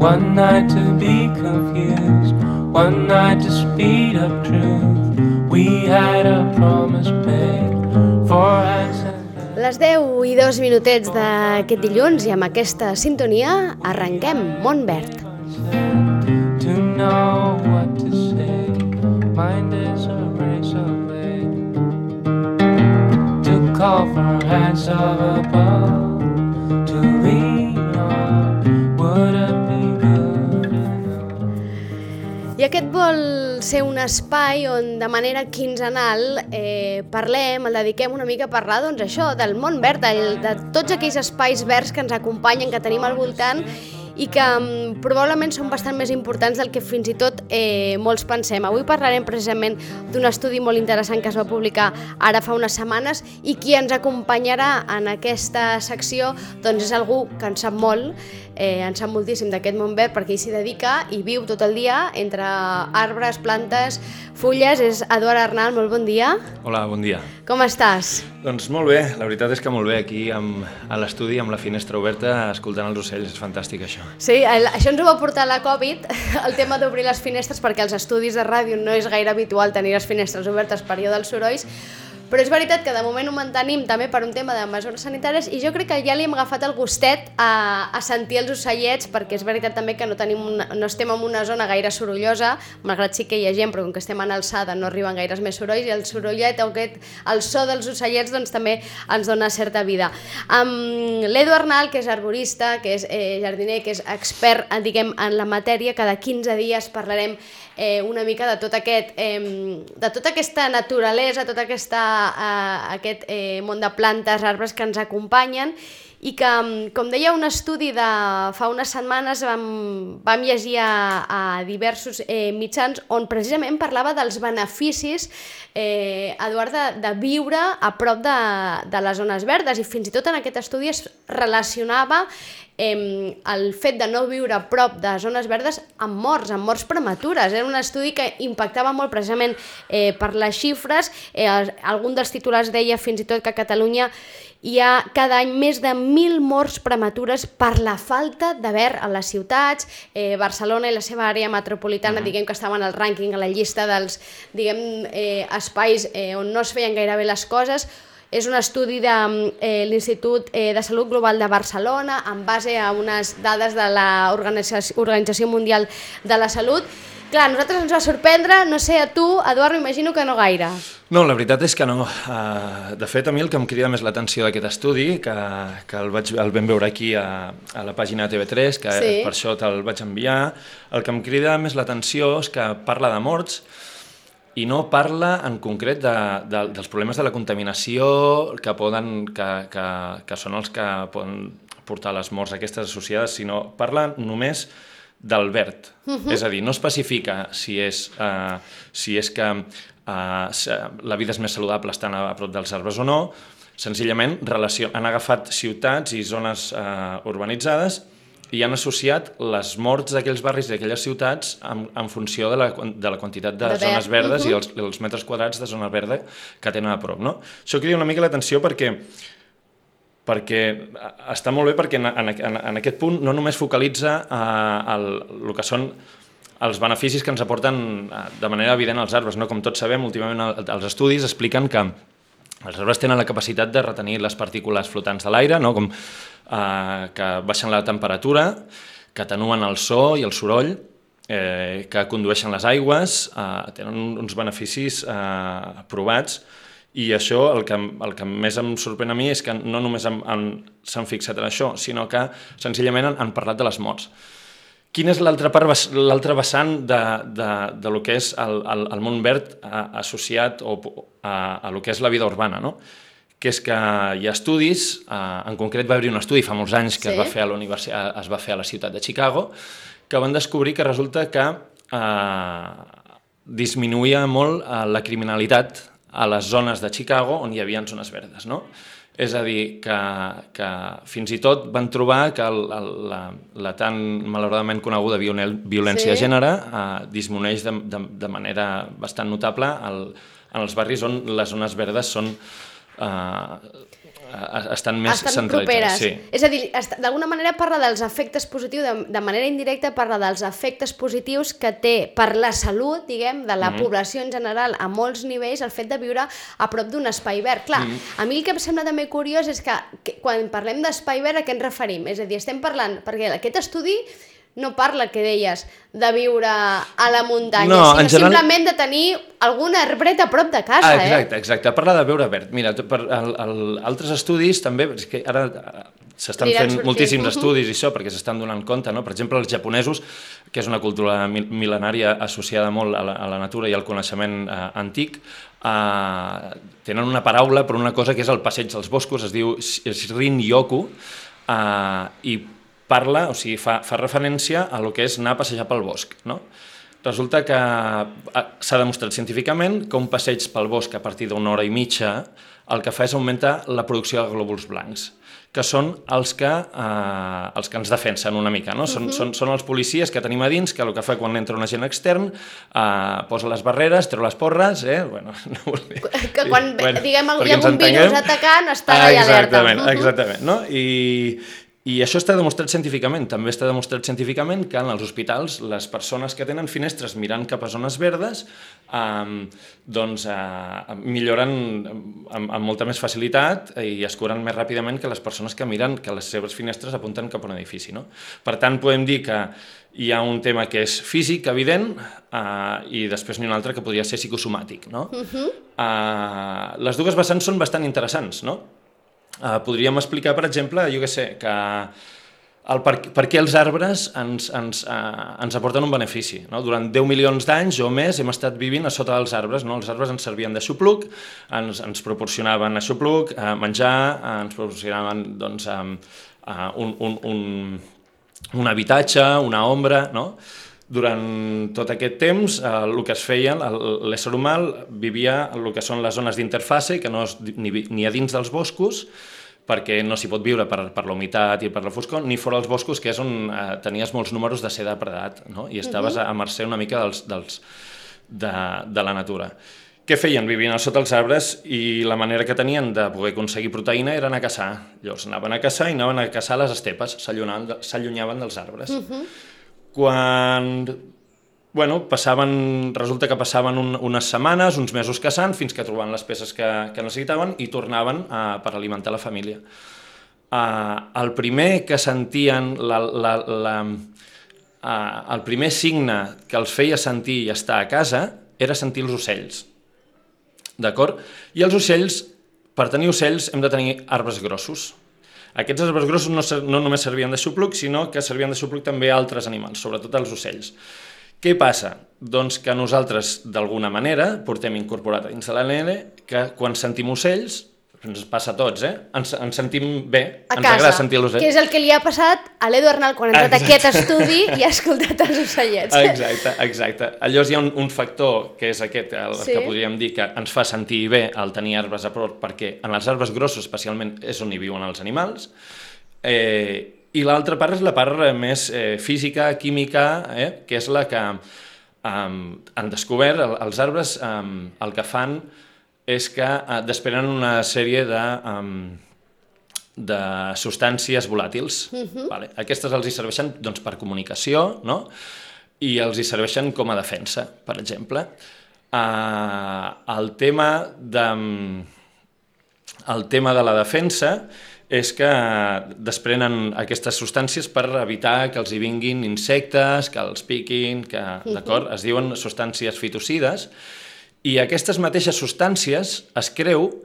One night to be confused, one night to speed up truth. We had a promise made for hands and Les 10:02 d'aquest dilluns i amb aquesta sintonia arrenquem Món Verd. to know what to say. Mind is a razor blade to call for hands of above. To lean on, would it be good enough? I aquest vol ser un espai on de manera quinzenal parlem, el dediquem una mica a parlar doncs això, del món verd, de tots aquells espais verds que ens acompanyen, que tenim al voltant i que probablement són bastant més importants del que fins i tot molts pensem. Avui parlarem precisament d'un estudi molt interessant que es va publicar ara fa unes setmanes i qui ens acompanyarà en aquesta secció doncs és algú que en sap molt, en sap moltíssim d'aquest món verd perquè ell s'hi dedica i viu tot el dia entre arbres, plantes, fulles. És Eduard Arnal, molt bon dia. Hola, bon dia. Com estàs? Doncs molt bé, la veritat és que molt bé aquí a l'estudi amb la finestra oberta escoltant els ocells, és fantàstic això. Sí, això ens ho va portar la Covid, el tema d'obrir les finestres, perquè als estudis de ràdio no és gaire habitual tenir les finestres obertes per allò dels sorolls, però és veritat que de moment ho mantenim també per un tema de mesures sanitàries i jo crec que ja li hem agafat el gustet a sentir els ocellets, perquè és veritat també que no estem en una zona gaire sorollosa, malgrat sí que hi ha gent, però com que estem en alçada no arriben gaires més sorolls i el sorollet, el so dels ocellets doncs també ens dona certa vida. Amb l'Edu Arnal, que és arborista, que és jardiner, que és expert diguem, en la matèria, cada 15 dies parlarem una mica de tota aquesta naturalesa, tot aquest món de plantes, arbres que ens acompanyen i que, com deia un estudi de fa unes setmanes, vam llegir a diversos mitjans on precisament parlava dels beneficis, Eduard, de viure a prop de les zones verdes i fins i tot en aquest estudi es relacionava el fet de no viure a prop de zones verdes amb morts prematures. Era un estudi que impactava molt precisament per les xifres. Algun dels titulars deia fins i tot que a Catalunya hi ha cada any més de 1.000 morts prematures per la falta de verd a les ciutats. Barcelona i la seva àrea metropolitana, diguem que estaven al rànquing, a la llista dels espais on no es feien gaire bé les coses. És un estudi de l'Institut de Salut Global de Barcelona en base a unes dades de l'Organització Mundial de la Salut. Clar, a nosaltres ens va sorprendre, no sé, a tu, Eduard, m'imagino que no gaire. No, la veritat és que no. De fet, a mi el que em crida més l'atenció d'aquest estudi, que el vam veure aquí a la pàgina TV3, que sí, per això te'l vaig enviar, el que em crida més l'atenció és que parla de morts i no parla en concret dels problemes de la contaminació que són els que poden portar les morts aquestes associades, sinó parla només del verd. És a dir, no especifica si és que la vida és més saludable estant a prop dels arbres o no, senzillament han agafat ciutats i zones urbanitzades i han associat les morts d'aquells barris i d'aquelles ciutats en funció de la quantitat de zones verdes i els metres quadrats de zona verda que tenen a prop. No? Això crida una mica l'atenció perquè està molt bé perquè en aquest punt no només focalitza el que són els beneficis que ens aporten de manera evident als arbres. No? Com tots sabem, últimament els estudis expliquen que els arbres tenen la capacitat de retenir les partícules flotants de l'aire, no? Com que baixen la temperatura, que atenuen el so i el soroll, que condueixen les aigües, tenen uns beneficis provats. I això, el que més em sorprèn a mi és que no només s'han fixat en això, sinó que senzillament han parlat de les morts. Quin és l'altre vessant de lo que és el món verd associat a lo que és la vida urbana, no? Que és que hi ha estudis, en concret va haver-hi un estudi fa molts anys que es va fer a la ciutat de Chicago, que van descobrir que resulta que disminuïa molt la criminalitat a les zones de Chicago on hi havia zones verdes, no? És a dir, que fins i tot van trobar que la tan malauradament coneguda violència de gènere disminueix de manera bastant notable en els barris on les zones verdes són estan més centralitzades. Properes. Sí. És a dir, d'alguna manera parla dels efectes positius, de manera indirecta parla dels efectes positius que té per la salut, diguem, de la població en general a molts nivells, el fet de viure a prop d'un espai verd. Clar, a mi el que em sembla també curiós és que quan parlem d'espai verd a què ens referim? És a dir, estem parlant, perquè aquest estudi no parla, que deies, de viure a la muntanya, sinó simplement de tenir algun arbret a prop de casa. Exacte. Parla de veure verd. Mira, per altres estudis també, és que ara s'estan fent moltíssims estudis i això, perquè s'estan donant compte, no? Per exemple, els japonesos, que és una cultura mil·lenària associada molt a la natura i al coneixement antic, tenen una paraula per una cosa que és el passeig dels boscos, es diu Shin-Yoku, i parla, o sigui, fa referència a lo que és anar a passejar pel bosc, no? Resulta que s'ha demostrat científicament que un passeig pel bosc a partir d'una hora i mitja el que fa és augmentar la producció de glòbuls blancs, que són els que ens defensen una mica, no? Són els policies que tenim a dins, que el que fa quan entra un agent extern, posa les barreres, treu les porres, bueno, no vull dir... Que quan, diguem, hi ha un virus atacant, està allà alerta. Exactament, no? I això està demostrat científicament. També està demostrat científicament que en els hospitals les persones que tenen finestres mirant cap a zones verdes milloren amb molta més facilitat i es curen més ràpidament que les persones que miren que les seves finestres apunten cap a un edifici, no? Per tant, podem dir que hi ha un tema que és físic, evident, i després n'hi ha un altre que podria ser psicosomàtic, no? Les dues vessants són bastant interessants, no? Podríem explicar, per exemple, jo què sé, que per què els arbres ens aporten un benefici, no? Durant 10 milions d'anys o més hem estat vivint a sota dels arbres, no? Els arbres ens servien d'aixopluc, ens proporcionaven aixopluc, menjar, ens proporcionaven doncs, un habitatge, una ombra, no? Durant tot aquest temps, el que es feia, l'ésser humà vivia el que són les zones d'interfase, que no és ni a dins dels boscos, perquè no s'hi pot viure per la humitat i per la foscor, ni fora dels boscos, que és on tenies molts números de ser depredat, no? I estaves a mercè una mica de la natura. Què feien? Vivien sota els arbres i la manera que tenien de poder aconseguir proteïna era anar a caçar. Llavors anaven a caçar i anaven a caçar les estepes, s'allunyaven dels arbres. Quan resulta que passaven unes setmanes, uns mesos caçant, fins que trobaven les peces que necessitaven i tornaven per alimentar la família. El primer que sentien, el primer signe que els feia sentir i estar a casa era sentir els ocells. D'acord? I els ocells, per tenir ocells, hem de tenir arbres grossos. Aquests arbres grossos no només servien d'aixopluc, sinó que servien d'aixopluc també a altres animals, sobretot als ocells. Què passa? Doncs que nosaltres, d'alguna manera, portem incorporat a dins de l'ADN que quan sentim ocells, ens passa a tots, ens sentim bé, ens agrada sentir l'ocell. Que és el que li ha passat a l'Edu Arnal quan ha entrat a aquest estudi i ha escoltat els ocellets. Exacte. Llavors hi ha un factor, que és aquest, que podríem dir que ens fa sentir bé el tenir arbres a prop, perquè en els arbres grossos especialment és on hi viuen els animals, i l'altra part és la part més física, química, que és la que han descobert. Els arbres el que fan és que desprenen una sèrie de substàncies volàtils. Aquestes els hi serveixen per comunicació, no? I els hi serveixen com a defensa, per exemple. El tema de la defensa és que desprenen aquestes substàncies per evitar que els hi vinguin insectes, que els piquin, d'acord? Es diuen substàncies fitocides. I aquestes mateixes substàncies es creu,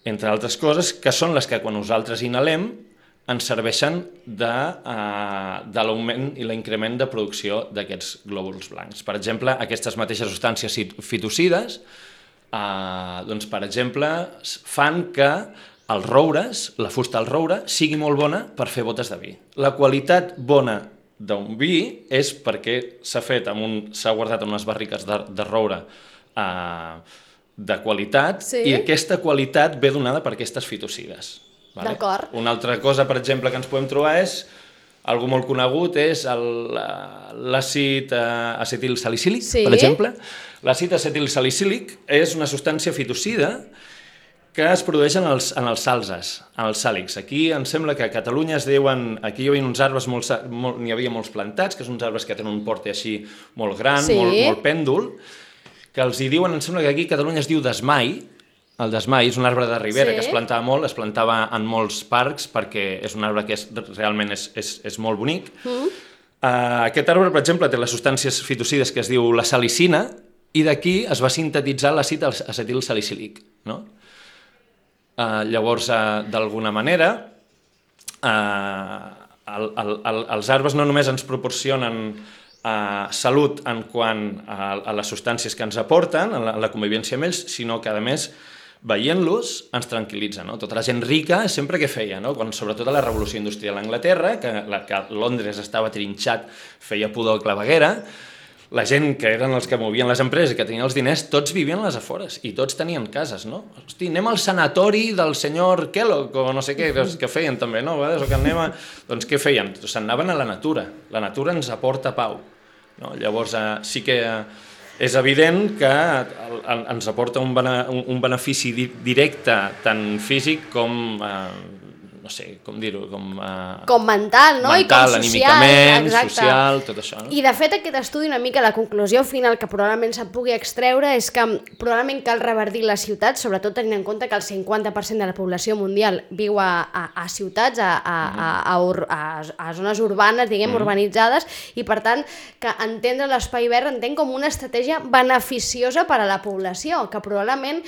entre altres coses, que són les que quan nosaltres inhalem ens serveixen de l'augment i l'increment de producció d'aquests glòbuls blancs. Per exemple, aquestes mateixes substàncies fitocides, doncs, per exemple, fan que els roures, la fusta del roure, sigui molt bona per fer botes de vi. La qualitat bona d'un vi és perquè s'ha guardat en unes barriques de roure de qualitat, i aquesta qualitat ve donada per aquestes fitocides. D'acord. Una altra cosa, per exemple, que ens podem trobar és, algo molt conegut, és l'àcid acetilsalicílic, per exemple. L'àcid acetilsalicílic és una substància fitocida que es produeixen en els salzes, en els sàlics. Aquí em sembla que a Catalunya es diuen... Aquí hi havia uns arbres, n'hi havia molts plantats, que són uns arbres que tenen un porte així molt gran, molt pèndol, que els hi diuen, em sembla que aquí a Catalunya es diu desmai. El desmai és un arbre de ribera que es plantava molt, es plantava en molts parcs perquè és un arbre que realment és molt bonic. Aquest arbre, per exemple, té les substàncies fitocides que es diu la salicina i d'aquí es va sintetitzar l'àcid acetilsalicílic. No? Llavors, d'alguna manera, els arbres no només ens proporcionen salut en quant a les substàncies que ens aporten, a la convivència amb ells, sinó que, a més, veient-los ens tranquil·litza. No? Tota la gent rica sempre què feia? No? Sobretot a la revolució industrial a Anglaterra, que Londres estava trinxat, feia pudor claveguera, la gent que eren els que movien les empreses i que tenien els diners, tots vivien a les afores i tots tenien cases, no? Hosti, anem al sanatori del senyor Kellogg o no sé què, que feien també, no? O que anem doncs què feien? Se'n anaven a la natura ens aporta pau. No? Llavors sí que és evident que ens aporta un benefici directe tant físic com no sé, com dir-ho, com mental, no? I com social. Anímicament, social, tot això. No? I de fet aquest estudi una mica la conclusió final que probablement se'n pugui extreure és que probablement cal revertir les ciutats, sobretot tenint en compte que el 50% de la població mundial viu a ciutats, a zones urbanes, diguem, urbanitzades, i per tant que entendre l'espai verd entenc com una estratègia beneficiosa per a la població, que probablement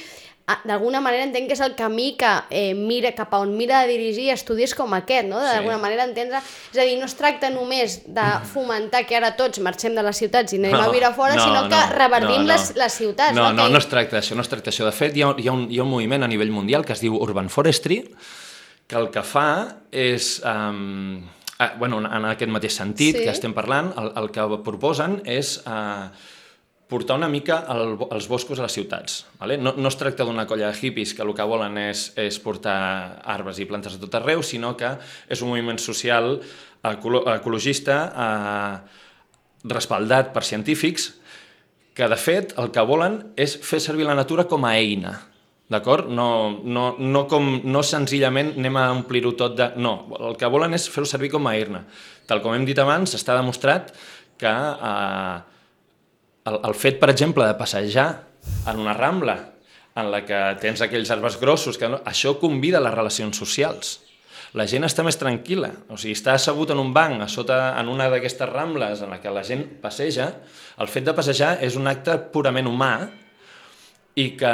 d'alguna manera entenc que és el camí que mira cap a on mira de dirigir estudis com aquest, no? D'alguna manera entendre, és a dir, no es tracta només de fomentar que ara tots marxem de les ciutats i anem a viure fora, sinó que revertim les ciutats. No es tracta d'això, no es tracta d'això. De fet, hi ha un moviment a nivell mundial que es diu Urban Forestry, que el que fa és, en aquest mateix sentit que estem parlant, el que proposen és portar una mica els boscos a les ciutats. No es tracta d'una colla de hippies que el que volen és portar arbres i plantes a tot arreu, sinó que és un moviment social ecologista respaldat per científics que, de fet, el que volen és fer servir la natura com a eina. D'acord? No senzillament anem a omplir-ho tot de... No, el que volen és fer-ho servir com a eina. Tal com hem dit abans, està demostrat que el fet, per exemple, de passejar en una rambla en la que tens aquells arbres grossos, això convida a les relacions socials. La gent està més tranquil·la, o sigui, està assegut en un banc en una d'aquestes rambles en la que la gent passeja. El fet de passejar és un acte purament humà i que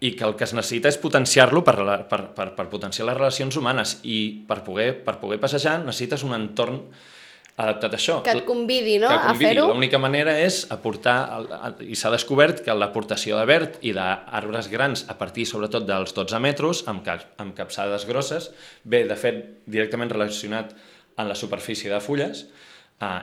el que es necessita és potenciar-lo per potenciar les relacions humanes, i per poder passejar necessites un entorn adaptat a això. Que et convidi, no?, a fer-ho. L'única manera és aportar, i s'ha descobert que l'aportació de verd i d'arbres grans a partir sobretot dels 12 metres, amb capçades grosses, ve de fet directament relacionat amb la superfície de fulles,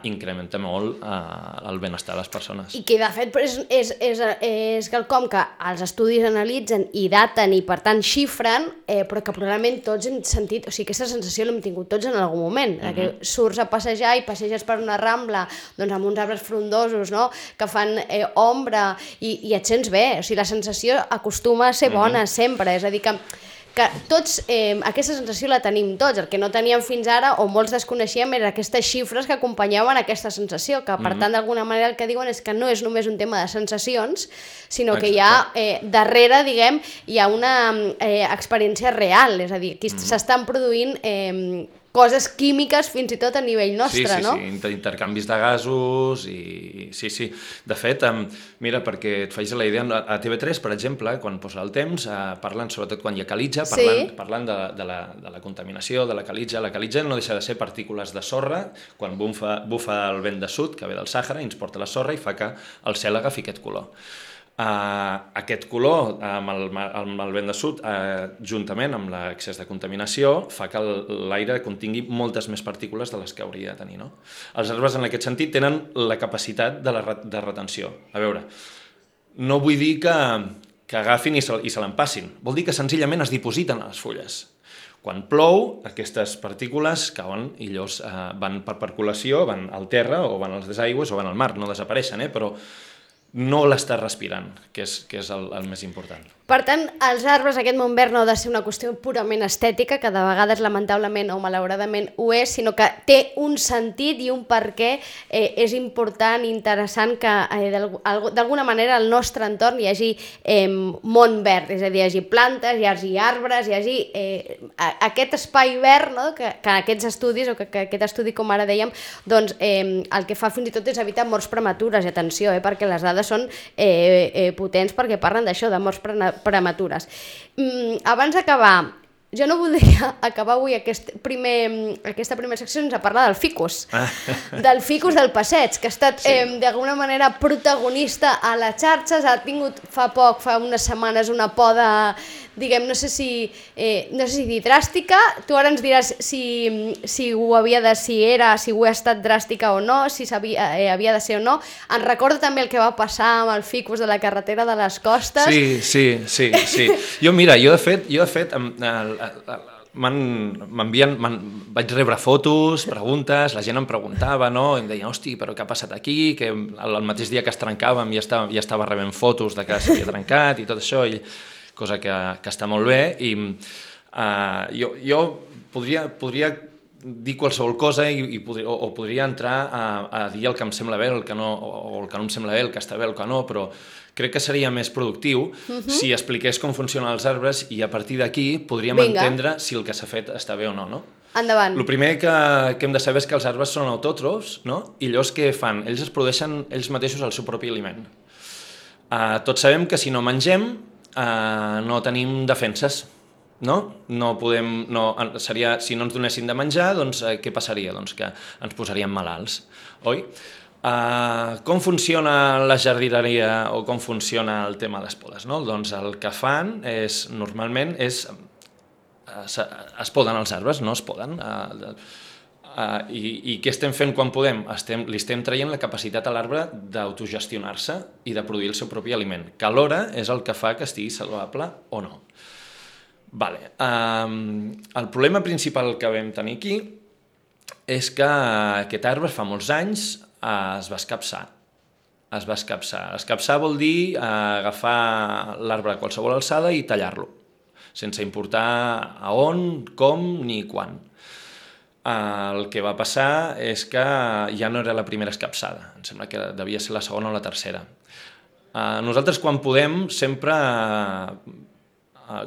incrementa molt el benestar de les persones. I que de fet és quelcom que els estudis analitzen i daten i per tant xifren, però que probablement tots hem sentit, o sigui, aquesta sensació l'hem tingut tots en algun moment, que surts a passejar i passeges per una rambla doncs amb uns arbres frondosos, no?, que fan ombra i et sents bé, o sigui, la sensació acostuma a ser bona sempre, és a dir que tots, aquesta sensació la tenim tots. El que no teníem fins ara, o molts desconeixíem, eren aquestes xifres que acompanyaven aquesta sensació, que per tant d'alguna manera el que diuen és que no és només un tema de sensacions, sinó que hi ha darrere, diguem, hi ha una experiència real, és a dir, aquí s'estan produint coses químiques fins i tot a nivell nostre, no? Sí, intercanvis de gasos i... Sí. De fet, mira, perquè et facis la idea, a TV3, per exemple, quan posa el temps, parlen, sobretot quan hi ha calitja, parlant de la contaminació, de la calitja. La calitja no deixa de ser partícules de sorra, quan bufa el vent de sud, que ve del Sàhara, i ens porta la sorra i fa que el cel agafi aquest color. Aquest color amb el vent de sud, juntament amb l'excés de contaminació, fa que l'aire contingui moltes més partícules de les que hauria de tenir, no? Els arbres en aquest sentit tenen la capacitat de retenció. A veure, no vull dir que agafin i se l'empassin, vol dir que senzillament es dipositen a les fulles. Quan plou, aquestes partícules cauen i llavors van per percolació, van al terra o van als desaigües o van al mar, no desapareixen, però no l'estàs respirant, que és el més important. Per tant, els arbres, aquest món verd no ha de ser una qüestió purament estètica, que de vegades lamentablement o malauradament ho és, sinó que té un sentit i un per què és important i interessant que d'alguna manera al nostre entorn hi hagi món verd, és a dir, hi hagi plantes, hi hagi arbres, hi hagi aquest espai verd, no? que aquests estudis, o que aquest estudi, com ara dèiem, doncs, el que fa fins i tot és evitar morts prematures, i atenció, perquè les dades són potents perquè parlen d'això, de morts prematures. Abans d'acabar, jo no voldria acabar avui aquesta primera secció sense parlar del ficus, del ficus del passeig, que ha estat d'alguna manera protagonista a les xarxes, ha tingut fa unes setmanes una poda, diguem, no sé si dir dràstica, tu ara ens diràs si ho ha estat dràstica o no, si havia de ser o no. Ens recorda també el que va passar amb el ficus de la carretera de les Costes. Sí. Jo de fet, vaig rebre fotos, preguntes, la gent em preguntava, no? I em deia, hosti, però què ha passat aquí? Que el mateix dia que es trencàvem ja estava rebent fotos de que s'havia trencat i tot això, cosa que està molt bé, i jo podria dir qualsevol cosa o podria entrar a dir el que em sembla bé, el que no em sembla bé, el que està bé, el que no, però crec que seria més productiu si expliqués com funcionen els arbres i a partir d'aquí podríem entendre si el que s'ha fet està bé o no, no? Endavant. El primer que hem de saber és que els arbres són autòtrofs, no? I llavors què fan? Ells es produeixen ells mateixos el seu propi aliment. Tots sabem que si no mengem no tenim defenses, no? Si no ens donessin de menjar, doncs què passaria? Doncs que ens posaríem malalts, oi? Com funciona la jardineria o com funciona el tema de les podes, no? Doncs el que fan normalment es poden els arbres, no es poden. I què estem fent quan podem? Li estem traient la capacitat a l'arbre d'autogestionar-se i de produir el seu propi aliment, que alhora és el que fa que estigui saludable o no. El problema principal que vam tenir aquí és que aquest arbre fa molts anys es va escapçar. Escapçar vol dir agafar l'arbre a qualsevol alçada i tallar-lo, sense importar a on, com ni quan. El que va passar és que ja no era la primera escapçada, em sembla que devia ser la segona o la tercera. Nosaltres quan podem, sempre,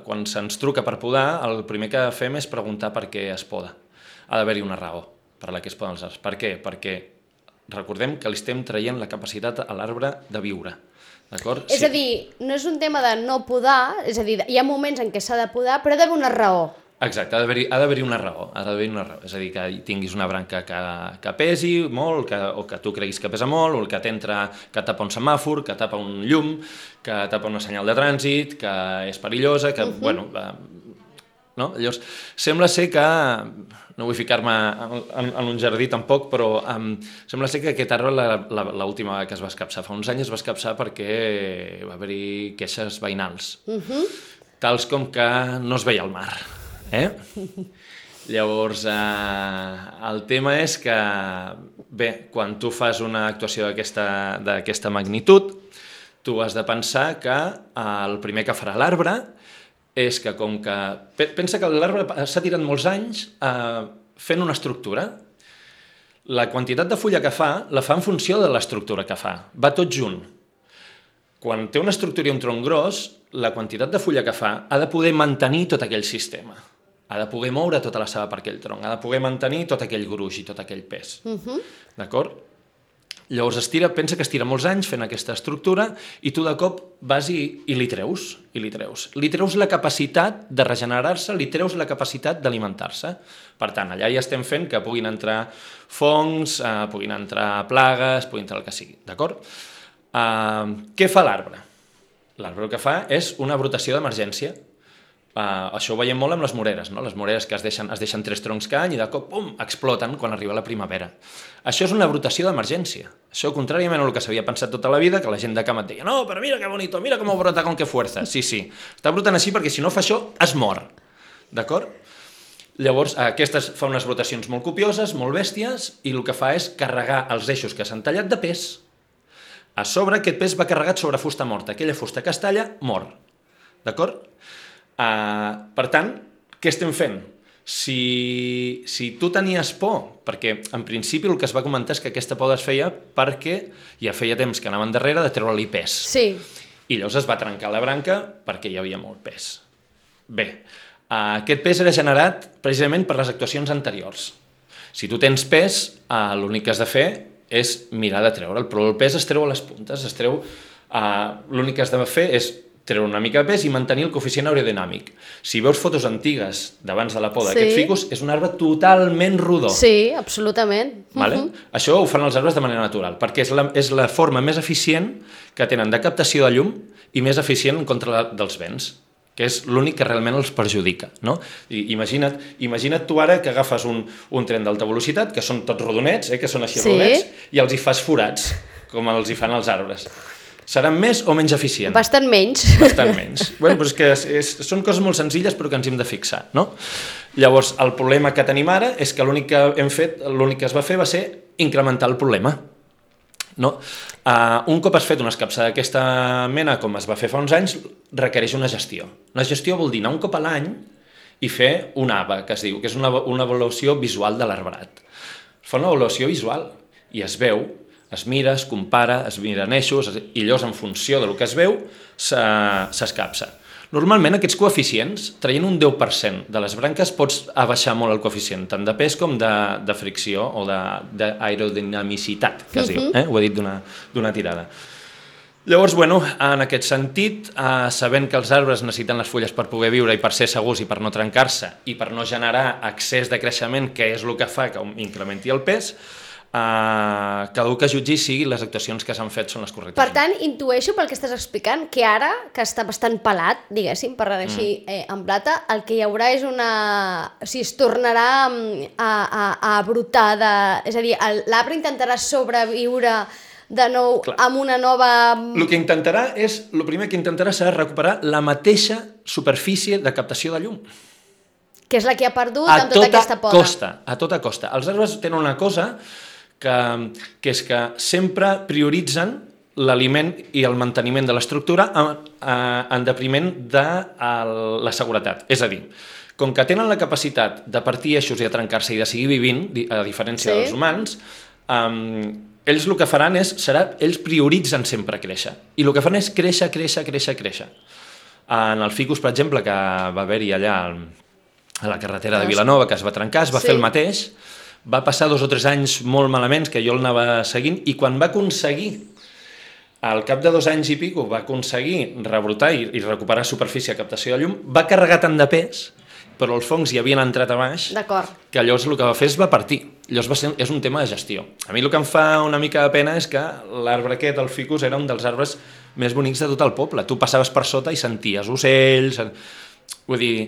quan se'ns truca per podar, el primer que fem és preguntar per què es poda. Ha d'haver-hi una raó per la que es poden els arbres. Per què? Perquè recordem que li estem traient la capacitat a l'arbre de viure. D'acord? És a dir, no és un tema de no podar, és a dir, hi ha moments en què s'ha de podar, però ha d'haver una raó. Exacte, ha d'haver-hi una raó, és a dir, que tinguis una branca que pesi molt, o que tu creguis que pesa molt, o que tapa un semàfor, que tapa un llum, que tapa una senyal de trànsit, que és perillosa, que, no? Llavors, sembla ser que, no vull ficar-me en un jardí tampoc, però sembla ser que aquest arbre l'última vegada que es va escapçar fa uns anys es va escapçar perquè va haver-hi queixes veïnals, tals com que no es veia el mar. Llavors, el tema és que, bé, quan tu fas una actuació d'aquesta magnitud, tu has de pensar que el primer que farà l'arbre és que com que... Pensa que l'arbre s'ha tirat molts anys fent una estructura. La quantitat de fulla que fa, la fa en funció de l'estructura que fa. Va tot junt. Quan té una estructura i un tronc gros, la quantitat de fulla que fa ha de poder mantenir tot aquell sistema. Ha de poder moure tota la seva per aquell tronc. Ha de poder mantenir tot aquell gruix i tot aquell pes. D'acord? Llavors pensa que es tira molts anys fent aquesta estructura i tu de cop vas i li treus. Li treus la capacitat de regenerar-se, li treus la capacitat d'alimentar-se. Per tant, allà ja estem fent que puguin entrar fongs, puguin entrar plagues, puguin entrar el que sigui. D'acord? Què fa l'arbre? L'arbre el que fa és una brotació d'emergència. Això ho veiem molt amb les moreres, no? Les moreres que es deixen 3 troncs cada any i de cop, pum, exploten quan arriba la primavera. Això és una brotació d'emergència. Això, contràriament al que s'havia pensat tota la vida, que la gent de camp et deia no, però mira que bonito, mira com brota con que fuerza. Sí, està brotant així perquè si no fa això, es mor. D'acord? Llavors, aquestes fa unes brotacions molt copioses, molt bèsties, i el que fa és carregar els eixos que s'han tallat de pes. A sobre, aquest pes va carregat sobre fusta morta. Aquella fusta que es talla, mor. d'acord? Per tant, què estem fent? Si tu tenies por, perquè en principi el que es va comentar és que aquesta por es feia perquè ja feia temps que anaven darrere de treure-li pes. Sí. I llavors es va trencar la branca perquè hi havia molt pes. Bé, aquest pes era generat precisament per les actuacions anteriors. Si tu tens pes, l'únic que has de fer és mirar de treure'l, però el pes es treu a les puntes, l'únic que has de fer és treure una mica de pes i mantenir el coeficient aerodinàmic. Si veus fotos antigues d'abans de la poda d'aquest ficus, és un arbre totalment rodó. Sí, absolutament. Vale? Això ho fan els arbres de manera natural, perquè és la forma més eficient que tenen de captació de llum i més eficient en contra dels vents, que és l'únic que realment els perjudica. No? Imagina't tu ara que agafes un tren d'alta velocitat, que són tots rodonets, que són així rodonets, i els hi fas forats, com els hi fan els arbres. Seran més o menys eficients? Bastant menys. Bastant menys. Bueno, però és que són coses molt senzilles però que ens hem de fixar, no? Llavors, el problema que tenim ara és que l'únic que es va fer va ser incrementar el problema. No? Un cop has fet una escapçada d'aquesta mena, com es va fer fa uns anys, requereix una gestió. Una gestió vol dir anar un cop a l'any i fer un AVA, que es diu, que és una avaluació visual de l'arbrat. Fa una avaluació visual i es veu, es mira, es compara, es miren eixos, i llavors en funció del que es veu s'escapça. Normalment aquests coeficients, traient un 10% de les branques, pots abaixar molt el coeficient, tant de pes com de fricció o d'aerodinamicitat, que es diu. Ho he dit d'una tirada. Llavors, en aquest sentit, sabent que els arbres necessiten les fulles per poder viure i per ser segurs i per no trencar-se i per no generar excés de creixement, que és el que fa que incrementi el pes, cada un que jutgi sigui les actuacions que s'han fet són les correctes. Per tant, intueixo pel que estàs explicant que ara, que està bastant pelat, diguéssim, per dir així, en plata, el que hi haurà és o sigui, es tornarà a brotar és a dir, l'arbre intentarà sobreviure de nou amb una nova... El primer que intentarà serà recuperar la mateixa superfície de captació de llum. Que és la que ha perdut amb tota aquesta poda. A tota costa. Els arbres tenen una cosa que és que sempre prioritzen l'aliment i el manteniment de l'estructura en detriment de la seguretat. És a dir, com que tenen la capacitat de partir eixos i de trencar-se i de seguir vivint, a diferència dels humans, ells el que faran ells prioritzen sempre créixer. I el que fan és créixer. En el ficus, per exemple, que va haver-hi allà a la carretera de Vilanova, que es va trencar, es va fer el mateix. Va passar 2 o 3 anys molt malament, que jo el anava seguint, i quan va aconseguir, al cap de 2 anys i pico, va aconseguir rebrotar i recuperar superfície de captació de llum, va carregar tant de pes, però els fongs hi havien entrat a baix, que llavors el que va fer es va partir. Llavors és un tema de gestió. A mi el que em fa una mica de pena és que l'arbre aquest, el ficus, era un dels arbres més bonics de tot el poble. Tu passaves per sota i senties ocells, vull dir...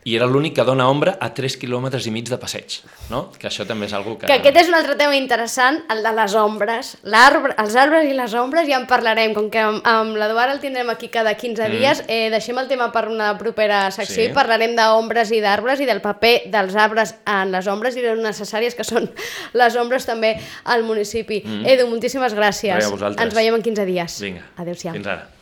I era l'únic que dona ombra a 3,5 quilòmetres de passeig, no? Que això també és una cosa que... Que aquest és un altre tema interessant, el de les ombres. Els arbres i les ombres ja en parlarem, com que amb l'Eduard el tindrem aquí cada 15 dies, deixem el tema per una propera secció i parlarem d'ombres i d'arbres i del paper dels arbres en les ombres i de necessàries que són les ombres també al municipi. Edu, moltíssimes gràcies. Res, a vosaltres. Ens veiem en 15 dies. Vinga, adéu-siau. fins ara.